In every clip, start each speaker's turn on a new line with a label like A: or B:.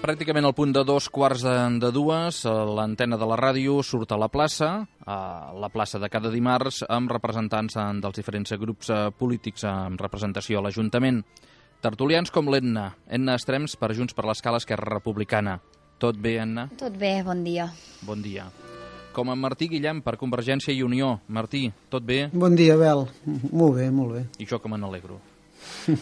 A: Pràcticament al punt de 2:15, l'antena de la ràdio surt a la plaça de cada dimarts, amb representants dels diferents grups polítics amb representació a l'Ajuntament. Tertulians com l'Edna Estrems per Junts per l'Escala, Esquerra Republicana. Tot bé, Edna?
B: Tot bé, bon dia.
A: Bon dia. Com en Martí Guillem per Convergència i Unió. Martí, tot bé?
C: Bon dia, Bel. Molt bé, molt bé.
A: I jo que me n'alegro.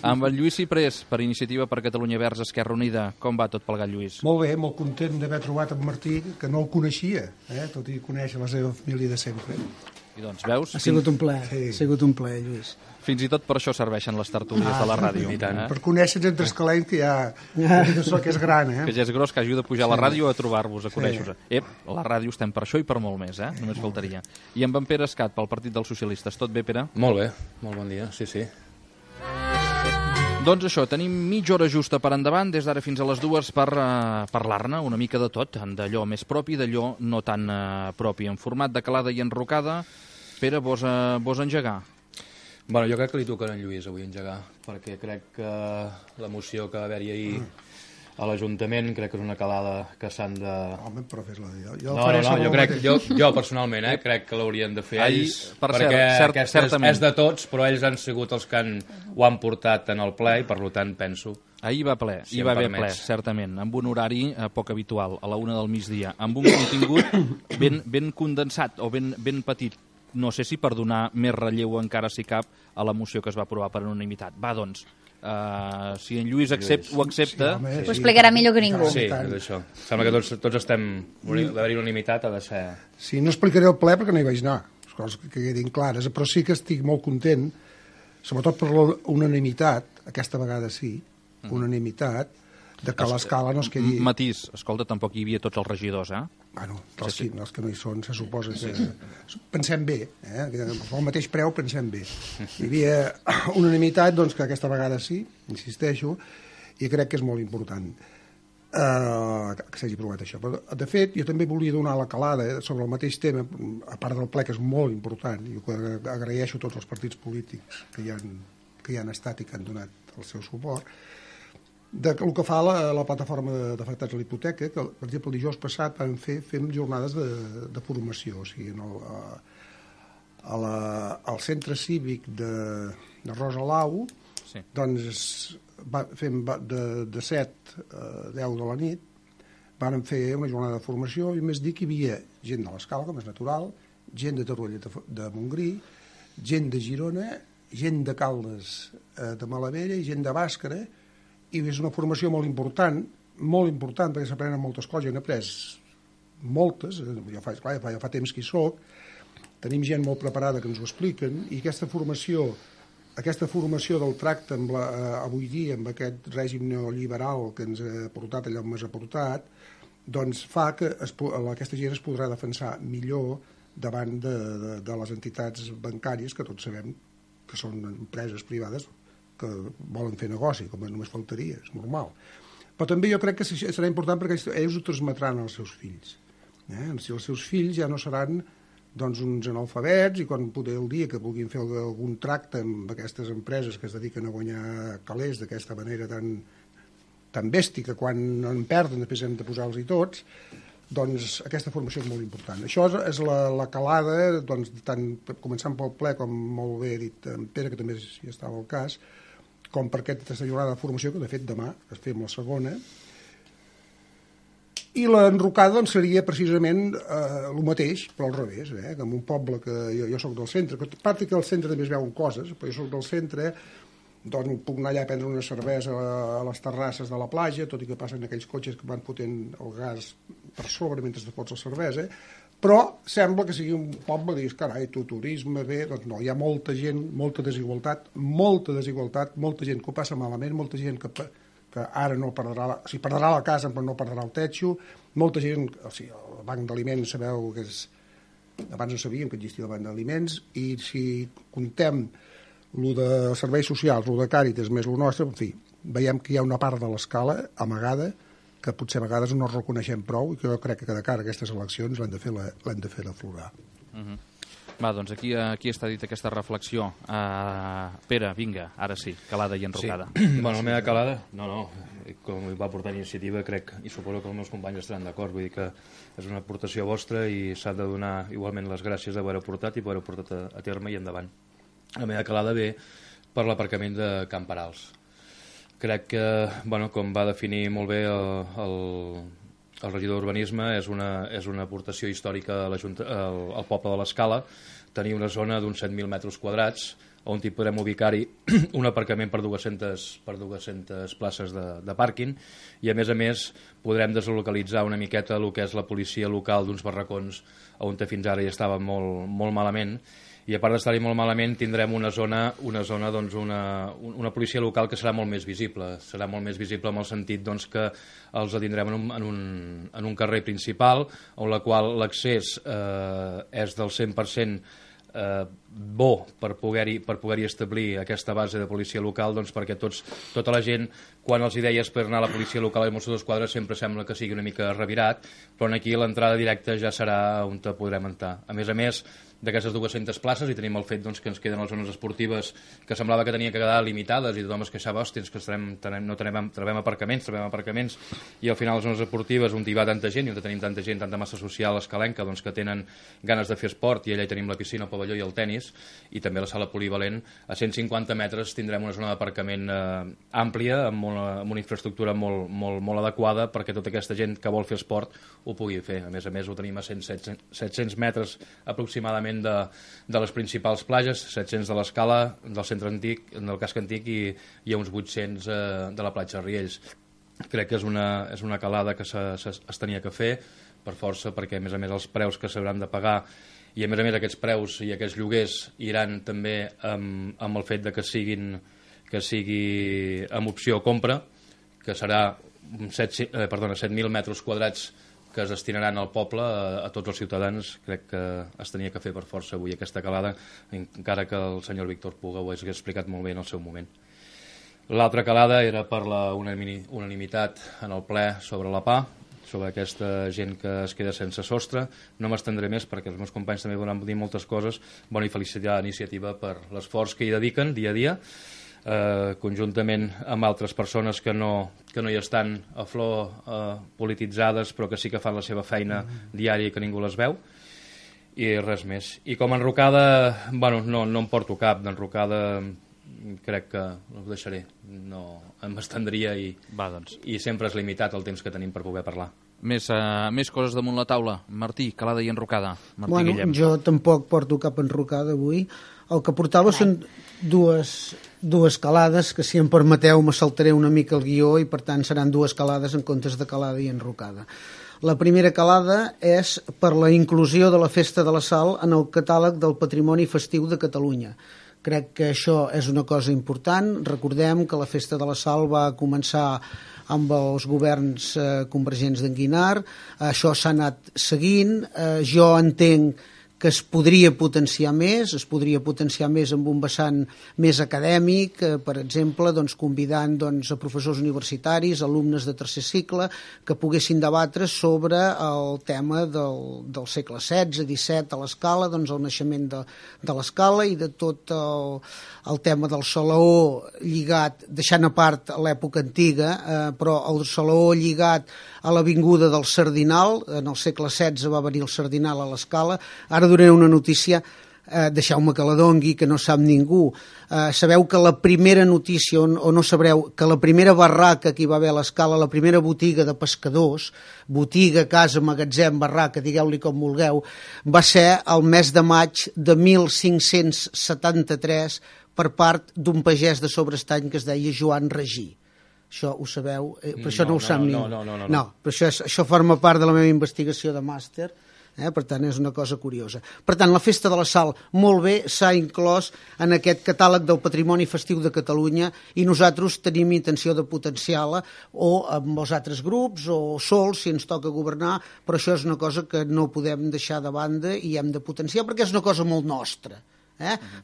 A: Amb el Lluís Ciprés, per Iniciativa per Catalunya Verds Esquerra Unida. Com va tot plegat, Lluís?
D: Molt bé, molt content d'haver trobat en Martí, que no el coneixia, tot i conèixer la seva família de sempre.
A: I doncs, veus?
C: Ha sigut un plaer, ha sigut un plaer, Lluís.
A: Fins i tot per això serveixen les tertúlies de la ràdio.
D: Per conèixer entre escalents que ja que és gran,
A: Que ja és gros, que ajuda a pujar a la ràdio a trobar-vos, a conèixer-vos. La ràdio estem per això i per molt més, només faltaria. I amb en Pere Escat, pel Partit dels Socialistes. Tot bé, Pere?
E: Molt bé, molt bon dia, sí.
A: Doncs això, tenim mitja hora justa per endavant, des d'ara fins a les 2 per parlar-ne una mica de tot, d'allò més propi, d'allò no tan propi. En format de calada i enrocada, Pere, vols engegar?
E: Bueno, jo crec que li tocarà en Lluís avui engegar, perquè crec que la moció que va haver-hi ahir a l'Ajuntament crec que és una calada que s'han de...
D: Home, però fes-la
E: jo personalment crec que l'haurien de fer ells,
A: perquè
E: és de tots, però ells han sigut els que ho han portat en el ple i per tant penso...
A: Ahir va ple, hi va haver ple, certament, amb un horari poc habitual, a la 1 del migdia, amb un contingut ben condensat o ben petit. No sé si per donar més relleu encara si cap a la moció que es va aprovar per unanimitat. Va, doncs, si en Lluís ho accepta...
B: Ho explicarà millor que ningú.
E: Sí, és això. Sembla que tots estem... D'haver-hi unanimitat ha de ser...
D: Sí, no explicaré el ple perquè no hi vaig anar, les coses que quedin clares, però sí que estic molt content, sobretot per la unanimitat, aquesta vegada sí, unanimitat, de que l'escala no es quedi...
A: Matís, escolta, tampoc hi havia tots els regidors,
D: Bueno, els que no hi són, se suposa que... Pensem bé, pel mateix preu pensem bé. Hi havia unanimitat, doncs, que aquesta vegada sí, insisteixo, i crec que és molt important que s'hagi aprovat això. Però, de fet, jo també volia donar la calada sobre el mateix tema, a part del ple, que és molt important, i agraeixo a tots els partits polítics que hi han estat i que han donat el seu suport, del que fa la plataforma d'afectats a la hipoteca, que, per exemple, el dijous passat fem jornades de formació, o sigui, al centre cívic de Rosalau, doncs fem de 7 a 10 de la nit, vàrem fer una jornada de formació i més dir que hi havia gent de l'Escala, com és natural, gent de Torroella de Montgrí, gent de Girona, gent de Caldes de Malavella i gent de Bàscara, i és una formació molt important perquè s'aprenen moltes coses, jo n'he après moltes, jo fa temps que hi soc, tenim gent molt preparada que ens ho expliquen, i aquesta formació del tracte avui dia amb aquest règim neoliberal que ens ha portat allà on ens ha portat, doncs fa que aquesta gent es podrà defensar millor davant de les entitats bancàries, que tots sabem que són empreses privades que volen fer negoci, com només faltaria, és normal. Però també jo crec que serà important perquè ells ho transmetran als seus fills. Si els seus fills ja no seran uns analfabets i quan poder el dia que vulguin fer algun tracte amb aquestes empreses que es dediquen a guanyar calés d'aquesta manera tan bèstia que quan en perden després hem de posar-los-hi tots, doncs aquesta formació és molt important. Això és la calada, tant començant pel ple, com molt bé ha dit en Pere, que també hi estava al cas, com per aquesta jornada de formació, que de fet demà es fem la segona, i l'enrocada seria precisament el mateix, però al revés, que en un poble que jo soc del centre, que a part que al centre també es veuen coses, però jo soc del centre, doncs puc anar allà a prendre una cervesa a les terrasses de la platja, tot i que passen aquells cotxes que van fotent el gas per sobre mentre te fots la cervesa, però sembla que sigui un poble, dius, carai, turisme, bé, doncs no, hi ha molta gent, molta desigualtat, molta gent que ho passa malament, molta gent que ara no perdrà, o sigui, perdrà la casa però no perdrà el techo, molta gent, o sigui, el banc d'aliments sabeu que és, abans no sabíem que existia el banc d'aliments, i si contem el de serveis socials, el de Càritas més el nostre, en fi, veiem que hi ha una part de l'escala amagada que potser a vegades no reconeixem prou i que jo crec que de cara a aquestes eleccions l'hem de fer aflorar.
A: Va, doncs aquí està dit aquesta reflexió. Pere, vinga, ara sí, calada i enrocada.
E: Sí. Bueno, la meva calada, com va portar iniciativa, crec, i suposo que els meus companys estaran d'acord, vull dir que és una aportació vostra i s'ha de donar igualment les gràcies d'haver-ho portat i poder-ho portat a terme i endavant. La meva calada ve per l'aparcament de Can Perals. Crec que, com va definir molt bé el regidor d'Urbanisme, és una aportació històrica al poble de l'Escala, tenir una zona d'uns 7.000 metres quadrats on hi podrem ubicar-hi un aparcament per 200 places de pàrquing i a més podrem deslocalitzar una miqueta el que és la policia local d'uns barracons on fins ara hi estava molt, molt malament, i a part d'estar-hi molt malament tindrem una zona doncs, una policia local que serà molt més visible en el sentit doncs, que els tindrem en un carrer principal on la qual l'accés és del 100% bo per poder-hi establir aquesta base de policia local, doncs perquè tota la gent, quan els deies per anar a la policia local i Mossos d'Esquadra sempre sembla que sigui una mica revirat, però aquí l'entrada directa ja serà on podrem entrar. A més, d'aquestes 200 places i tenim el fet doncs, que ens queden les zones esportives que semblava que tenia que quedar limitades i tothom es queixava, hòsties, que no trobem aparcaments i al final les zones esportives on hi va tanta gent i on tenim tanta gent, tanta massa social escalenca doncs, que tenen ganes de fer esport i allà hi tenim la piscina, el pavelló i el tennis i també la sala polivalent, a 150 metres tindrem una zona d'aparcament àmplia amb una infraestructura molt adequada perquè tota aquesta gent que vol fer esport ho pugui fer. A més ho tenim a 700 metres aproximadament de les principals platges, 700 de l'Escala, del centre antic, del casc antic i uns 800 de la platja de Riells. Crec que és una calada que es tenia que fer per força perquè a més els preus que s'hauran de pagar i a més aquests preus i aquests lloguers iran també amb el fet de que sigui amb opció compra, que serà 7.000 metres quadrats que es destinaran al poble, a tots els ciutadans. Crec que es tenia que fer per força avui aquesta calada, encara que el senyor Víctor Puga ho hagués explicat molt bé en el seu moment. L'altra calada era per la unanimitat en el ple sobre la PA, sobre aquesta gent que es queda sense sostre. No m'estendré més perquè els meus companys també van dir moltes coses. I felicitar l'iniciativa per l'esforç que hi dediquen dia a dia, conjuntament amb altres persones que no hi estan a flor polititzades però que sí que fan la seva feina diària i que ningú les veu i res més. I com a enrocada no em porto cap d'enrocada, crec que ho deixaré, no em estendria i sempre és limitat el temps que tenim per poder parlar.
A: Més coses damunt la taula. Martí, calada i enrocada.
C: Guillem. Jo tampoc porto cap enrocada avui. El que portava són dues calades, que si em permeteu me saltaré una mica el guió i per tant seran dues calades en comptes de calada i enrocada. La primera calada és per la inclusió de la Festa de la Sal en el catàleg del Patrimoni Festiu de Catalunya. Crec que això és una cosa important. Recordem que la Festa de la Sal va començar amb els governs convergents d'en Guinar. Això s'ha anat seguint. Jo entenc que es podria potenciar més amb un vessant més acadèmic, per exemple, convidant a professors universitaris, alumnes de tercer cicle, que poguessin debatre sobre el tema del segle XVI, XVII a l'Escala, el naixement de l'Escala i de tot el tema del Salaó lligat, deixant a part l'època antiga, però el Salaó lligat a l'avinguda del Sardinal. En el segle XVI va venir el Sardinal a l'Escala. Ara donaré una notícia, deixeu-me que la dongui, que no sap ningú. Sabeu que la primera notícia, o no sabreu, que la primera barraca que hi va haver a l'Escala, la primera botiga de pescadors, botiga, casa, magatzem, barraca, digueu-li com vulgueu, va ser el mes de maig de 1573 per part d'un pagès de Sobrestany que es deia Joan Regí. Això ho sabeu? Però això no ho sap ningú. No, però això forma part de la meva investigació de màster, per tant és una cosa curiosa. Per tant, la Festa de la Sal, molt bé, s'ha inclòs en aquest catàleg del Patrimoni Festiu de Catalunya i nosaltres tenim intenció de potenciar-la o amb els altres grups o sols, si ens toca governar, però això és una cosa que no podem deixar de banda i hem de potenciar perquè és una cosa molt nostra.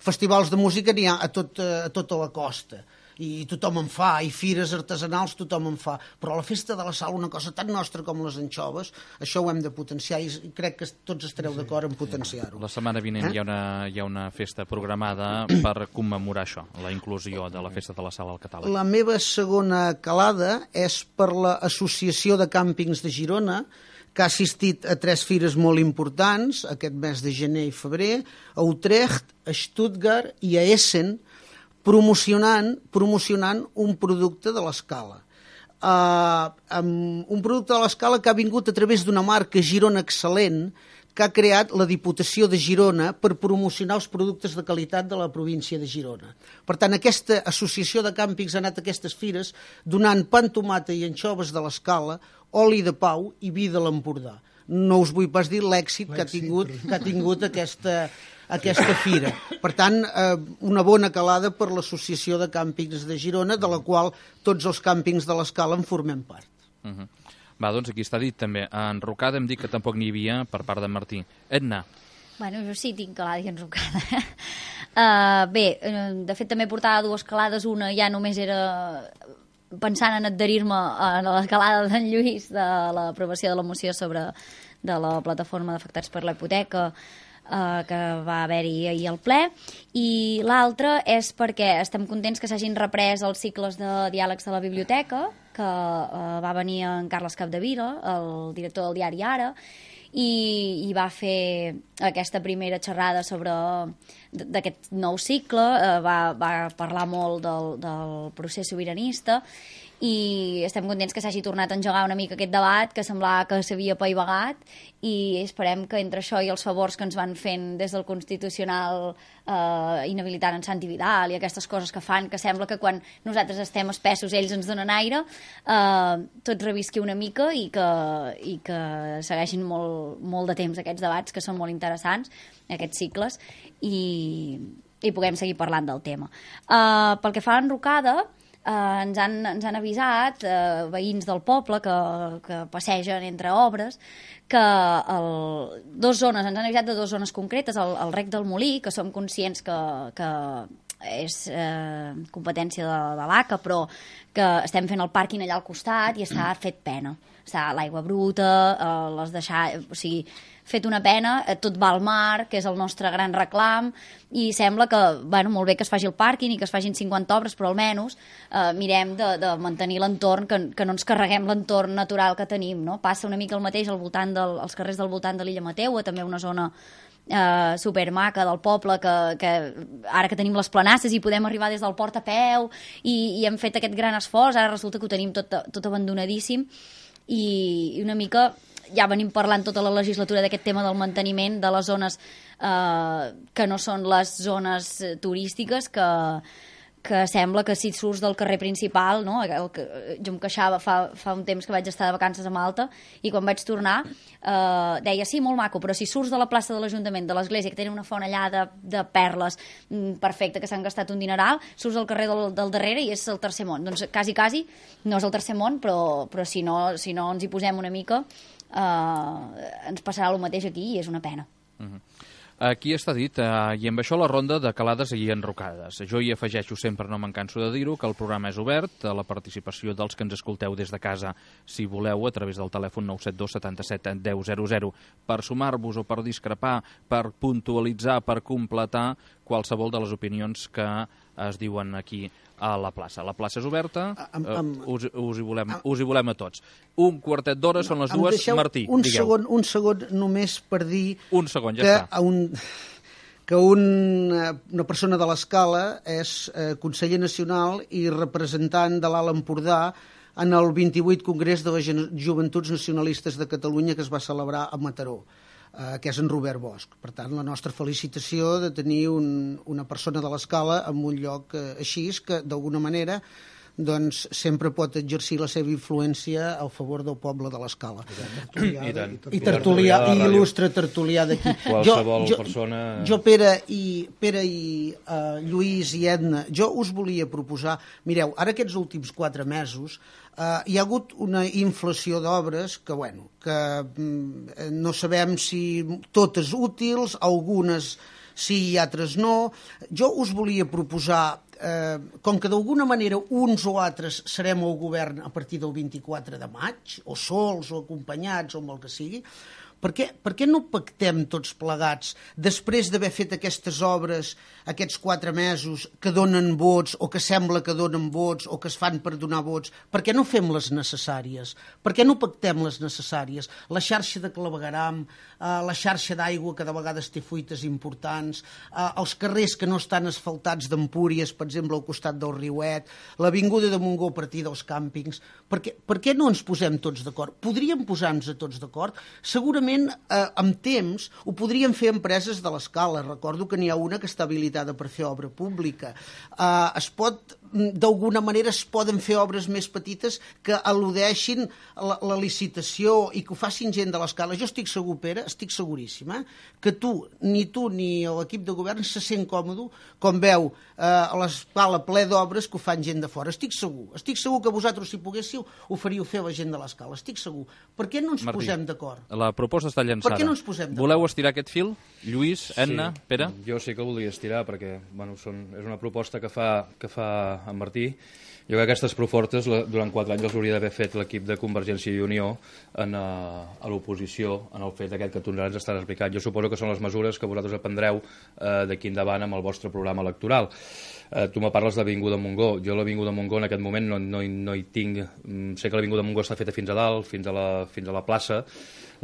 C: Festivals de música n'hi ha a tota la costa. i tothom en fa, i fires artesanals tothom en fa, però la festa de la sal, una cosa tan nostra com les anxoves, això ho hem de potenciar i crec que tots estareu d'acord en potenciar-ho.
A: La setmana vinent hi ha una festa programada per commemorar això, la inclusió de la festa de la sal al catàleg.
C: La meva segona calada és per l'Associació de Càmpings de Girona, que ha assistit a 3 fires molt importants aquest mes de gener i febrer, a Utrecht, a Stuttgart i a Essen, promocionant un producte de l'escala. Un producte de l'escala que ha vingut a través d'una marca Girona Excel·lent, que ha creat la Diputació de Girona per promocionar els productes de qualitat de la província de Girona. Per tant, aquesta associació de càmpings ha anat a aquestes fires donant pa amb tomata i anxoves de l'escala, oli de Pau i vi de l'Empordà. No us vull pas dir l'èxit que ha tingut aquesta fira. Per tant, una bona calada per l'Associació de Càmpings de Girona, de la qual tots els càmpings de l'escala en formem part.
A: Va, doncs aquí està dit també. A Enrocada hem dit que tampoc n'hi havia per part de Martí. Edna.
B: Bueno, jo sí tinc calada i enrocada. Bé, de fet també portava 2 calades, una ja només era pensant en adherir-me a la calada d'en Lluís de l'aprovació de la moció de la plataforma d'afectats per la hipoteca que va haver-hi ahir al ple, i l'altra és perquè estem contents que s'hagin reprès els cicles de diàlegs de la biblioteca, que va venir en Carles Capdevila, el director del diari Ara, i va fer aquesta primera xerrada sobre d'aquest nou cicle, va parlar molt del procés sobiranista, i estem contents que s'hagi tornat a engegar una mica aquest debat que semblava que s'havia apaivagat, i esperem que entre això i els favors que ens van fent des del Constitucional inhabilitant en Santi Vidal i aquestes coses que fan, que sembla que quan nosaltres estem espessos ells ens donen aire, tot revisqui una mica i que segueixin molt de temps aquests debats que són molt interessants, aquests cicles, i puguem seguir parlant del tema. Pel que fa a Enrocada, ens han avisat veïns del poble que passegen entre obres que ens han avisat de 2 zones concretes, el Rec del Molí, que som conscients que és competència de l'ACA, però que estem fent el pàrquing allà al costat i s'ha fet pena. L'aigua bruta, les deixar... O sigui, fet una pena, tot va al mar, que és el nostre gran reclam, i sembla que, bueno, molt bé que es faci el pàrquing i que es facin 50 obres, però almenys mirem de mantenir l'entorn, que no ens carreguem l'entorn natural que tenim, no? Passa una mica el mateix al voltant als carrers del voltant de l'Illa Mateua, també una zona supermaca del poble, que ara que tenim les planasses i podem arribar des del port a peu i hem fet aquest gran esforç, ara resulta que ho tenim tot abandonadíssim, i una mica ja venim parlant tota la legislatura d'aquest tema del manteniment de les zones que no són les zones turístiques, que sembla que si surts del carrer principal, no? Jo em queixava fa un temps que vaig estar de vacances a Malta i quan vaig tornar deia, sí, molt maco, però si surts de la plaça de l'Ajuntament, de l'església, que tenen una font allà de perles perfecte, que s'han gastat un dineral, surts al carrer del darrere i és el tercer món. Doncs quasi no és el tercer món, però si no ens hi posem una mica ens passarà el mateix aquí i és una pena.
A: Aquí està dit, i amb això la ronda de calades i enrocades. Jo hi afegeixo sempre, no me'n canso de dir-ho, que el programa és obert a la participació dels que ens escolteu des de casa, si voleu, a través del telèfon 972 77 10 00, per sumar-vos o per discrepar, per puntualitzar, per completar qualsevol de les opinions que es diuen aquí a la plaça. La plaça és oberta, us hi volem a tots. Un quartet d'hora, són les 2. Martí, digueu.
C: Un segon només per dir...
A: Un segon, ja està.
C: Que una persona de l'Escala és conseller nacional i representant de l'Alt Empordà en el 28 Congrés de les Joventuts Nacionalistes de Catalunya que es va celebrar a Mataró, que és en Robert Bosch. Per tant, la nostra felicitació de tenir una persona de l'Escala en un lloc així, que d'alguna manera doncs sempre pot exercir la seva influència a favor del poble de l'Escala. I il·lustre tertulià d'aquí.
E: Qualsevol persona...
C: Jo, Pere i Lluís i Edna, jo us volia proposar... Mireu, ara aquests últims 4 mesos hi ha hagut una inflació d'obres que no sabem si totes útils, algunes sí i altres no. Jo us volia proposar, com que d'alguna manera uns o altres serem al govern a partir del 24 de maig, o sols, o acompanyats, o amb el que sigui, per què no pactem tots plegats, després d'haver fet aquestes obres, aquests 4 mesos, que donen vots, o que sembla que donen vots, o que es fan per donar vots, per què no fem les necessàries? Per què no pactem les necessàries? La xarxa de clavegueram, la xarxa d'aigua, que de vegades té fuites importants, els carrers que no estan asfaltats d'Empúries, per exemple, al costat del Riuet, l'avinguda de Montgó a partir dels càmpings. Per què no ens posem tots d'acord? Podríem posar-nos tots d'acord? Segurament amb temps ho podrien fer empreses de l'escala. Recordo que n'hi ha una que està habilitada per fer obra pública. D'alguna manera es poden fer obres més petites que al·ludeixin la licitació i que ho facin gent de l'escala. Jo estic segur, Pere, estic seguríssim, que ni tu ni l'equip de govern se sent còmode com veu a l'escala ple d'obres que ho fan gent de fora. Estic segur que vosaltres, si poguéssiu, ho faríeu fer a la gent de l'escala. Estic segur. Per què no ens posem d'acord?
A: La proposta està llançada.
C: Per què no ens posem d'acord?
A: Voleu estirar aquest fil? Lluís, Anna, Pere?
E: Jo sí que el voldria estirar perquè és una proposta que fa en Martí. Jo crec que aquestes propostes durant 4 anys els hauria d'haver fet l'equip de Convergència i Unió a l'oposició en el fet aquest que tu ens estàs explicant. Jo suposo que són les mesures que vosaltres aprendreu d'aquí endavant amb el vostre programa electoral. Tu me parles d'Avinguda Montgó. Jo l'Avinguda Montgó en aquest moment no hi tinc. Sé que l'Avinguda Montgó està feta fins a dalt, fins a la plaça.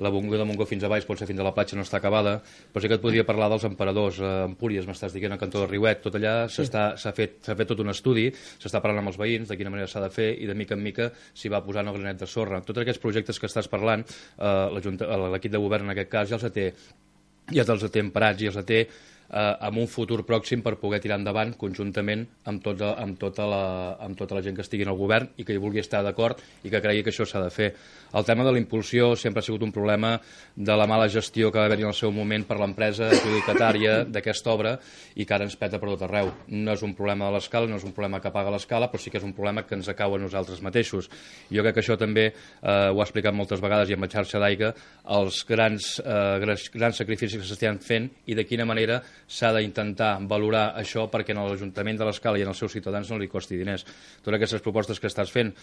E: L'Avinguda Montgó fins a baix, pot ser fins a la platja, no està acabada, però sí que et podria parlar dels emperadors. Empúries, m'estàs dient, al cantó del Riuet, tot allà s'ha fet tot un estudi, s'està parlant amb els veïns de quina manera s'ha de fer i de mica en mica s'hi va posant el granet de sorra. Tots aquests projectes que estàs parlant, l'equip de govern en aquest cas ja te'ls té emparats i els té en un futur pròxim per poder tirar endavant conjuntament amb tota la gent que estigui en el govern i que hi vulgui estar d'acord i que cregui que això s'ha de fer. El tema de la impulsió sempre ha sigut un problema de la mala gestió que va haver-hi en el seu moment per l'empresa adjudicatària d'aquesta obra i que ara ens peta per tot arreu. No és un problema de l'escala, no és un problema que paga l'escala, però sí que és un problema que ens acau a nosaltres mateixos. Jo crec que això també ho ha explicat moltes vegades i amb la xarxa d'aigua, els grans sacrificis que s'estan fent i de quina manera s'ha d'intentar valorar això perquè en l'Ajuntament de l'Escala i en els seus ciutadans no li costi diners. Totes aquestes propostes que estàs fent,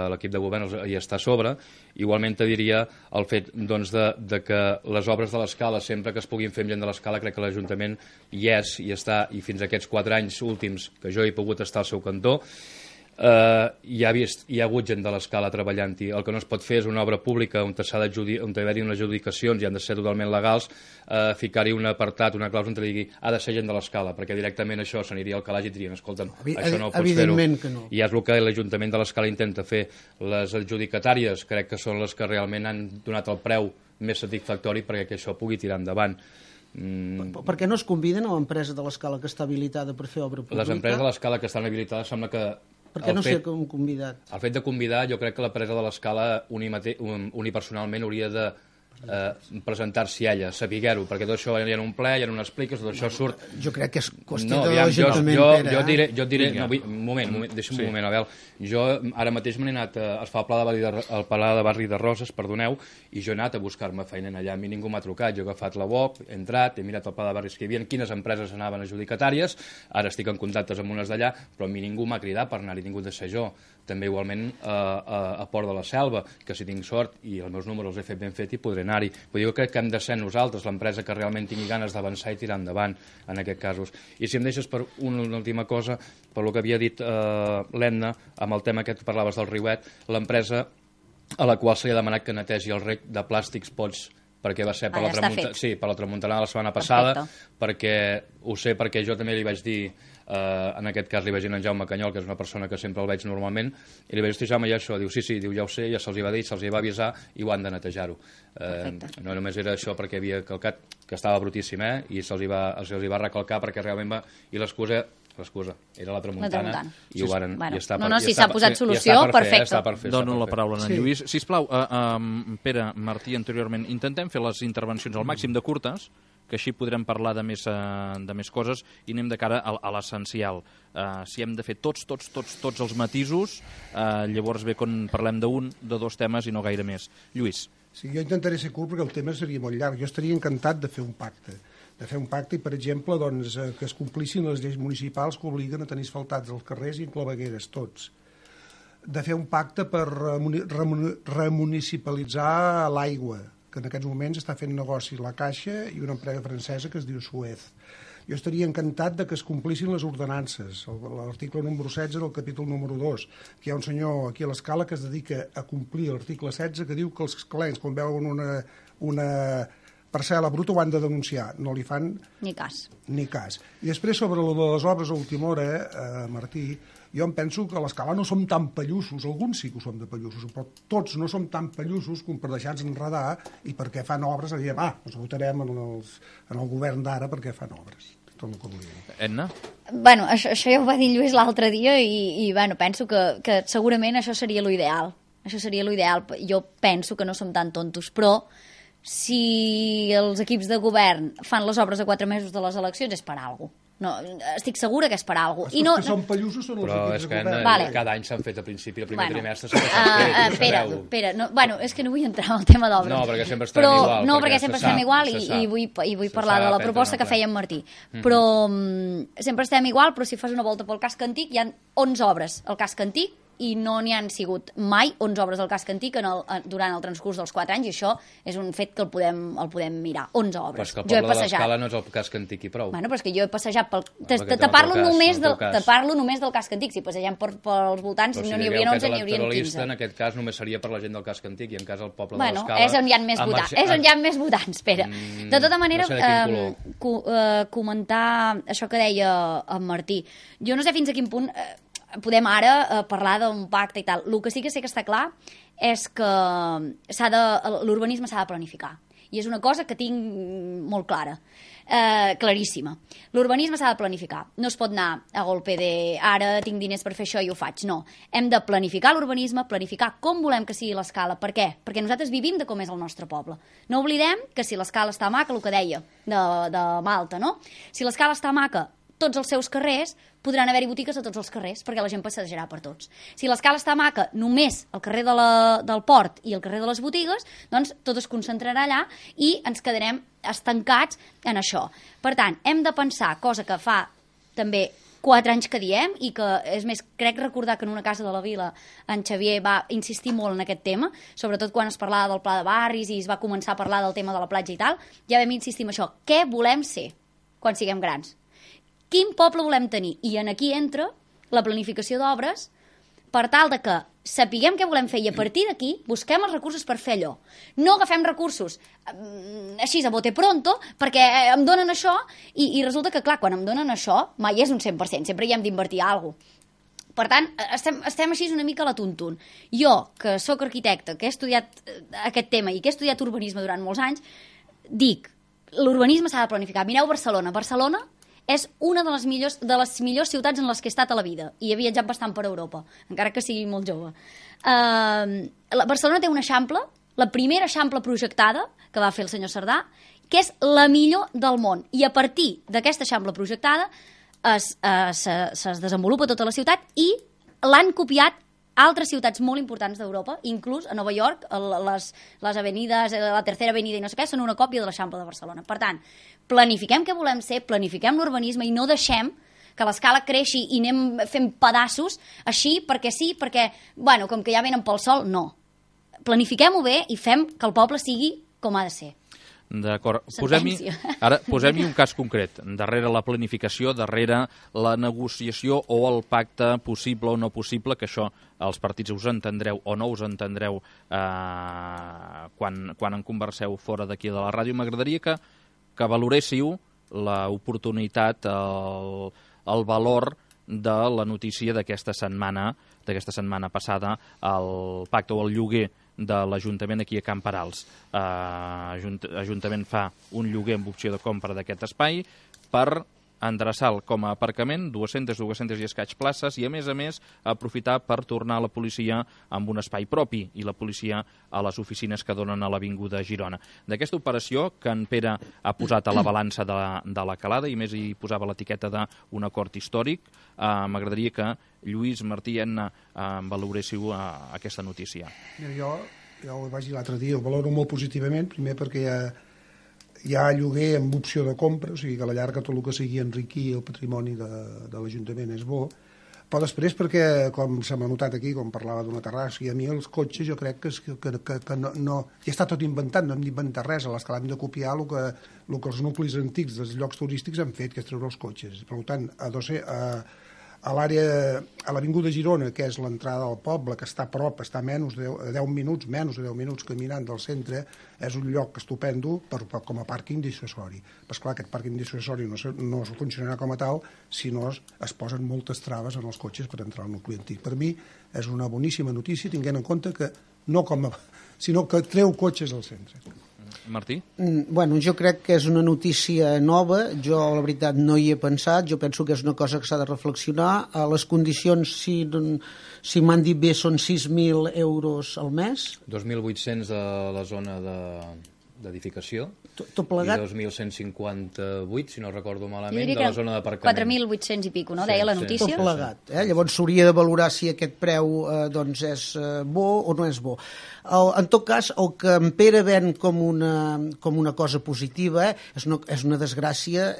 E: l'equip de govern hi està a sobre. Igualment te diria el fet de que les obres de l'Escala, sempre que es puguin fer amb gent de l'Escala, crec que l'Ajuntament hi és, hi està, i fins a aquests 4 anys últims que jo he pogut estar al seu cantó, hi ha hagut gent de l'Escala treballant-hi. El que no es pot fer és una obra pública on hi unes adjudicacions i han de ser totalment legals, ficar-hi un apartat, una clàusula on digui ha de ser gent de l'Escala, perquè directament això s'aniria al calaix i dirien, escolta'm, això no ho pots fer-ho.
C: No.
E: I és el que l'Ajuntament de l'Escala intenta fer. Les adjudicatàries crec que són les que realment han donat el preu més satisfactori perquè això pugui tirar endavant.
C: Per què no es conviden a l'empresa de l'Escala que està habilitada per fer obra pública?
E: Les empreses de l'Escala que estan habilitades sembla que
C: per què no sé com convidat?
E: El fet de convidar, jo crec que l'empresa de l'Escala unipersonalment hauria de presentar-s'hi ella, saber-ho, perquè tot això hi ha un ple, hi ha unes pliques, tot això surt...
C: Jo crec que és qüestió de l'Ajuntament, Pere.
E: Jo et diré... Un moment, deixa'm un moment, Abel. Jo ara mateix m'he anat a fer el Pla de Barri de Roses, perdoneu, i jo he anat a buscar-me feina allà, a mi ningú m'ha trucat, jo he agafat la web, he entrat, he mirat el Pla de Barris que hi havia, quines empreses anaven adjudicatàries, ara estic en contactes amb unes d'allà, però a mi ningú m'ha cridat per anar-hi, ningú de ser jo. També igualment a Port de la Selva, que si tinc sort i els meus números els he fet ben fet i podré anar-hi. Però jo crec que hem de ser nosaltres, l'empresa que realment tingui ganes d'avançar i tirar endavant en aquests casos. I si em deixes per una última cosa, per lo que havia dit l'Edna, amb el tema que tu parlaves del Riuet, l'empresa a la qual se li ha demanat que netegi el rec de plàstics pots perquè va ser per la tramuntana de la setmana passada, perquè ho sé perquè jo també li vaig dir, en aquest cas li vaig dir a en Jaume Canyol, que és una persona que sempre el veig normalment, i li vaig dir, Jaume, ja això, diu, sí, diu, ja ho sé, ja se'ls va dir, se'ls va avisar i ho han de netejar-ho. No només era això perquè havia calcat, que estava brutíssim, i se'ls va recalcar perquè realment va... I l'excusa era la tramuntana i ho varen...
B: Si s'ha posat solució, perfecte.
A: Dono la paraula a en Lluís. Sisplau, Pere, Martí, anteriorment, intentem fer les intervencions al màxim de curtes, que així podrem parlar de més coses i anem de cara a l'essencial. Si hem de fer tots els matisos, llavors ve quan parlem d'un, de 2 temes i no gaire més. Lluís.
D: Sí, jo intentaré ser curt perquè el tema seria molt llarg. Jo estaria encantat de fer un pacte. de fer un pacte i, per exemple, doncs, que es complissin les lleis municipals que obliguen a tenir asfaltats els carrers i clavegueres, tots. De fer un pacte per remunicipalitzar l'aigua, que en aquests moments està fent negoci la Caixa i una empresa francesa que es diu Suez. Jo estaria encantat de que es complissin les ordenances, l'article número 16 del capítol número 2, que hi ha un senyor aquí a l'Escala que es dedica a complir l'article 16, que diu que els escalencs, quan veuen una parcel·la bruta, ho han de denunciar. No li fan
B: ni cas.
D: I després, sobre les obres a última hora, Martí, jo em penso que a l'Escala no som tan pallussos, alguns sí que ho som de pallussos, però tots no som tan pallussos com per deixar-nos enredar i perquè fan obres, diem, ens votarem en el govern d'ara perquè fan obres. Tot el que volia dir.
A: Edna?
B: Bueno, això ja ho va dir Lluís l'altre dia i bueno, penso que segurament això seria l'ideal. Això seria l'ideal. Jo penso que no som tan tontos, però si els equips de govern fan les obres a 4 mesos de les eleccions és per alguna cosa. No, estic segura que és per alguna cosa.
D: Els que són pallussos són els equips de govern.
B: Vale.
E: Cada any s'han fet a principi, el primer trimestre
B: Espera, bueno, és que no vull entrar en el tema d'obres.
E: No, perquè sempre estem igual.
B: No, perquè sempre estem igual i vull parlar de la proposta que feia en Martí. Però sempre estem igual, però si fas una volta pel casc antic hi ha 11 obres al casc antic i no n'hi han sigut mai 11 obres del casc antic durant el transcurs dels 4 anys, i això és un fet que el podem mirar. 11 obres.
E: Però és que el poble de l'Escala no és el casc antic i prou.
B: Bueno, però és que jo he passejat te parlo només del casc antic. Si passegem pels voltants no n'hi haurien 11, n'hi haurien 15.
E: En aquest cas només seria per la gent del casc antic i en cas el poble de
B: bueno,
E: l'Escala...
B: és on hi ha més votants. És on hi ha més votants, espera. De tota manera, comentar això que deia en Martí. Jo no sé fins a quin punt podem ara parlar d'un pacte i tal. El que sí que sé que està clar és que l'urbanisme s'ha de planificar. I és una cosa que tinc molt clara, claríssima. L'urbanisme s'ha de planificar. No es pot anar a golpe de ara tinc diners per fer això i ho faig. No. Hem de planificar l'urbanisme, planificar com volem que sigui l'Escala. Per què? Perquè nosaltres vivim de com és el nostre poble. No oblidem que si l'Escala està maca, el que deia de Malta, no? Si l'Escala està maca, tots els seus carrers podran haver-hi botigues a tots els carrers, perquè la gent passejarà per tots. Si l'Escala està maca, només el carrer del Port i el carrer de les botigues, doncs tot es concentrarà allà i ens quedarem estancats en això. Per tant, hem de pensar, cosa que fa també 4 anys que diem, i que, és més, crec recordar que en una casa de la Vila en Xavier va insistir molt en aquest tema, sobretot quan es parlava del pla de barris i es va començar a parlar del tema de la platja i tal, ja vam insistir en això. Què volem ser quan siguem grans? Quin poble volem tenir? I en aquí entra la planificació d'obres per tal de que sapiguem què volem fer i a partir d'aquí busquem els recursos per fer allò. No agafem recursos així a bote pronto perquè em donen això i resulta que, clar, quan em donen això mai és un 100%, sempre hi hem d'invertir alguna cosa. Per tant, estem així una mica a la tuntun. Jo, que sóc arquitecte, que he estudiat aquest tema i que he estudiat urbanisme durant molts anys, dic, l'urbanisme s'ha de planificar. Mireu Barcelona. Barcelona és una de les millors ciutats en les que he estat a la vida i he viatjat bastant per Europa, encara que sigui molt jove. Barcelona té un eixample, la primera eixample projectada que va fer el senyor Cerdà, que és la millor del món, i a partir d'aquesta eixample projectada es desenvolupa tota la ciutat i l'han copiat altres ciutats molt importants d'Europa, inclús a Nova York, les avenides, la Tercera Avenida i no sé què, són una còpia de l'Eixample de Barcelona. Per tant, planifiquem què volem ser, planifiquem l'urbanisme i no deixem que l'Escala creixi i anem fent pedaços així perquè sí, perquè, bueno, com que ja venen pel sol, no. Planifiquem-ho bé i fem que el poble sigui com ha de ser.
A: D'acord. Posem-hi un cas concret. Darrere la planificació, darrere la negociació o el pacte possible o no possible, que això els partits us entendreu o no us entendreu quan en converseu fora d'aquí de la ràdio. M'agradaria que valoréssiu l'oportunitat, el valor de la notícia d'aquesta setmana passada, el pacte o el lloguer de l'Ajuntament aquí a Camp Perals. L'Ajuntament fa un lloguer amb opció de compra d'aquest espai per endreçar com a aparcament 200 i escaig places i, a més, aprofitar per tornar a la policia amb un espai propi i la policia a les oficines que donen a l'Avinguda Girona. D'aquesta operació que en Pere ha posat a la balança de la calada i més hi posava l'etiqueta d'un acord històric, m'agradaria que Lluís, Martí i Edna valoréssiu aquesta notícia.
D: Mira, jo ho vaig dir l'altre dia, ho valoro molt positivament, primer perquè hi ha lloguer amb opció de compra, o sigui que a la llarga tot el que sigui enriquir el patrimoni de l'Ajuntament és bo, però després perquè, com se m'ha notat aquí, com parlava d'una terrassa, i a mi els cotxes jo crec que no ja està tot inventat, no hem d'inventar res, a l'escala hem de copiar el que els nuclis antics dels llocs turístics han fet, que és treure els cotxes. Per tant, a l'àrea, a l'Avinguda Girona, que és l'entrada al poble, que està a prop, està a menys de 10 minuts caminant del centre, és un lloc estupendo com a pàrquing dissuasori. Però esclar, aquest pàrquing dissuasori no funcionarà com a tal si no es posen moltes traves en els cotxes per entrar al nucli antic. Per mi és una boníssima notícia, tinguent en compte que sinó que treu cotxes al centre.
A: Martí?
C: Bueno, jo crec que és una notícia nova, jo la veritat no hi he pensat, jo penso que és una cosa que s'ha de reflexionar. A les condicions, si m'han dit bé, són 6.000 euros al mes.
E: 2.800 de la zona d'edificació
C: tot plegat.
E: I 2.158, si no recordo malament, de la zona d'aparcament.
B: 4.800 i pico, no? Deia la notícia.
C: Tot plegat. Llavors s'hauria de valorar si aquest preu doncs és bo o no és bo. En tot cas, el que en Pere ven com una cosa positiva és una desgràcia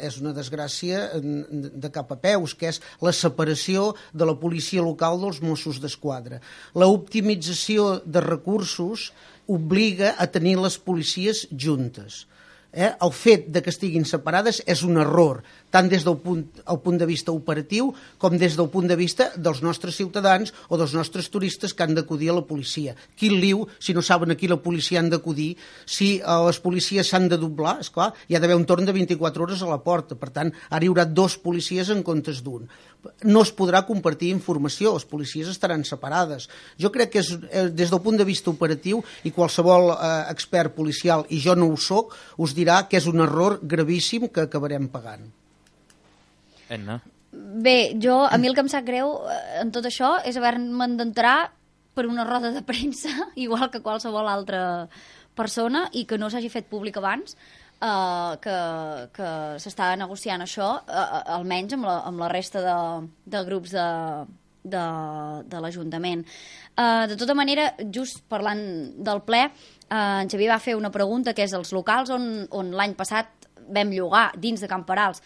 C: de cap a peus, que és la separació de la policia local dels Mossos d'Esquadra. L'optimització de recursos obliga a tenir les policies juntes. El fet de que estiguin separades és un error, tant des del punt de vista operatiu com des del punt de vista dels nostres ciutadans o dels nostres turistes que han d'acudir a la policia. Quin liu si no saben a qui la policia han d'acudir, si les policies s'han de doblar, esclar, hi ha d'haver un torn de 24 hores a la porta, per tant, ara hi haurà 2 policies en comptes d'un. No es podrà compartir informació, les policies estaran separades. Jo crec que des del punt de vista operatiu, i qualsevol expert policial, i jo no ho soc, us dirà que és un error gravíssim que acabarem pagant.
A: Enna?
B: Bé, a mi el que em sap greu en tot això és haver-me'n d'entrar per una roda de premsa, igual que qualsevol altra persona, i que no s'hagi fet públic abans, que s'estava negociant això, almenys amb la resta de grups de l'Ajuntament. De tota manera, just parlant del ple, en Xavier va fer una pregunta, que és els locals on l'any passat vam llogar dins de Camperals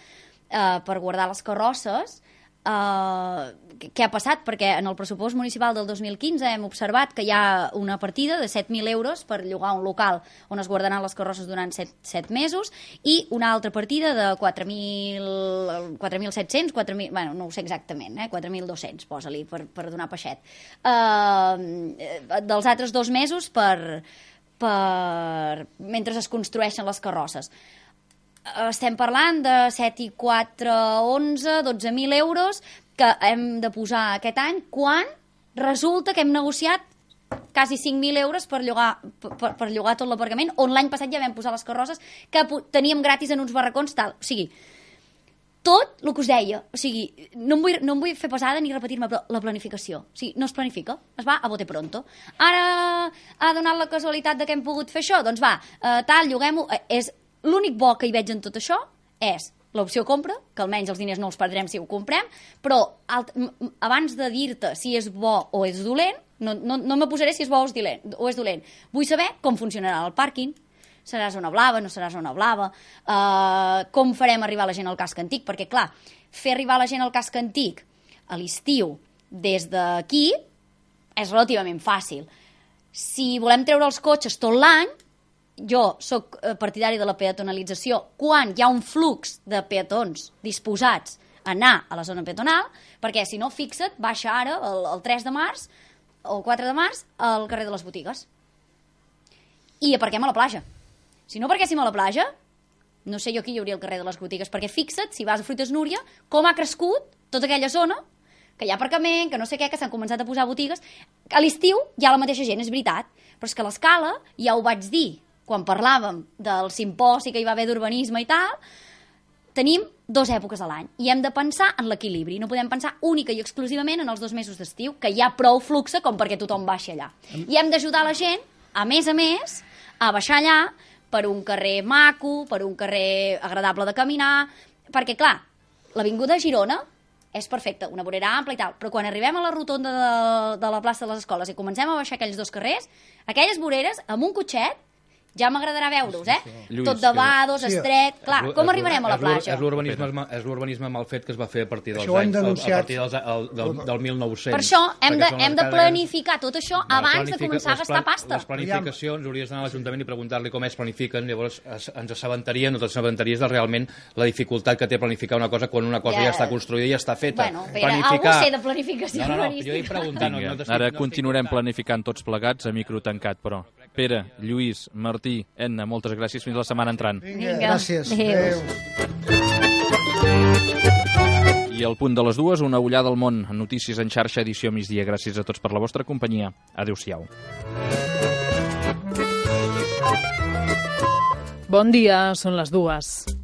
B: per guardar les carrosses, què ha passat? Perquè en el pressupost municipal del 2015 hem observat que hi ha una partida de 7.000 euros per llogar un local on es guardaran les carrosses durant 7 mesos i una altra partida de 4.700, bueno, no ho sé exactament, 4.200, posa-li, per donar peixet. Dels altres 2 mesos mentre es construeixen les carrosses. Estem parlant de 7 i 4, 11, 12.000 euros que hem de posar aquest any, quan resulta que hem negociat quasi 5.000 euros per llogar tot l'aparcament, on l'any passat ja vam posar les carrosses que teníem gratis en uns barracons, tal. O sigui, tot el que us deia, o sigui, no em vull fer pesada ni repetir-me, però la planificació, o sigui, no es planifica, es va a bote pronto. Ara ha donat la casualitat de que hem pogut fer això, doncs va, lloguem-ho, l'únic bo que hi veig en tot això és l'opció compra, que almenys els diners no els perdrem si ho comprem, però abans de dir-te si és bo o és dolent, no me posaré si és bo o és dolent. Vull saber com funcionarà el pàrquing, serà zona blava, no serà zona blava, com farem arribar la gent al casc antic, perquè clar, fer arribar la gent al casc antic a l'estiu des d'aquí és relativament fàcil. Si volem treure els cotxes tot l'any, jo sóc partidari de la peatonalització quan hi ha un flux de peatons disposats a anar a la zona peatonal, perquè si no, fixa't, baixa ara el 3 de març o el 4 de març al carrer de les Botigues i aparquem a la platja. Si no aparquéssim a la platja, no sé jo qui hi hauria al carrer de les Botigues, perquè fixa't, si vas a Fruites Núria, com ha crescut tota aquella zona, que hi ha aparcament, que no sé què, que s'han començat a posar botigues. A l'estiu hi ha la mateixa gent, és veritat, però és que a l'Escala, ja ho vaig dir quan parlàvem del simposi que hi va haver d'urbanisme i tal, tenim 2 èpoques a l'any i hem de pensar en l'equilibri. No podem pensar única i exclusivament en els 2 mesos d'estiu, que hi ha prou fluxe com perquè tothom baixi allà. I hem d'ajudar la gent, a més, a baixar allà per un carrer maco, per un carrer agradable de caminar, perquè, clar, l'avinguda Girona és perfecta, una vorera ampla i tal, però quan arribem a la rotonda de la plaça de les Escoles i comencem a baixar aquells 2 carrers, aquelles voreres, amb un cotxet, Ja m'agradarà veure-us,
A: Lluís,
B: tot de vados, estret... Clar, com arribarem a la platja?
E: És l'urbanisme mal fet que es va fer a partir dels
D: Això ho hem
E: anys, a
D: denunciat.
E: partir del 1900.
B: Per això hem de
E: Perquè
B: planificar tot això abans de començar a gastar pasta.
E: Les planificacions, hauries d'anar a l'Ajuntament i preguntar-li com es planifiquen, llavors ens assabentaríem, no t'assabentaries de realment la dificultat que té planificar una cosa quan una cosa ja està construïda i ja està feta.
B: Bueno, algú sé de planificació urbanística.
E: Jo he preguntat...
A: Ara continuarem planificant tots plegats a micro tancat, però. Pere, Lluís, Martí, Enna, moltes gràcies. Fins la setmana entrant.
B: Vinga,
C: gràcies.
B: Adéu.
A: I al punt de les 2, una ullada al món. Notícies en xarxa, edició migdia. Gràcies a tots per la vostra companyia. Adéu-siau.
F: Bon dia, són les 2.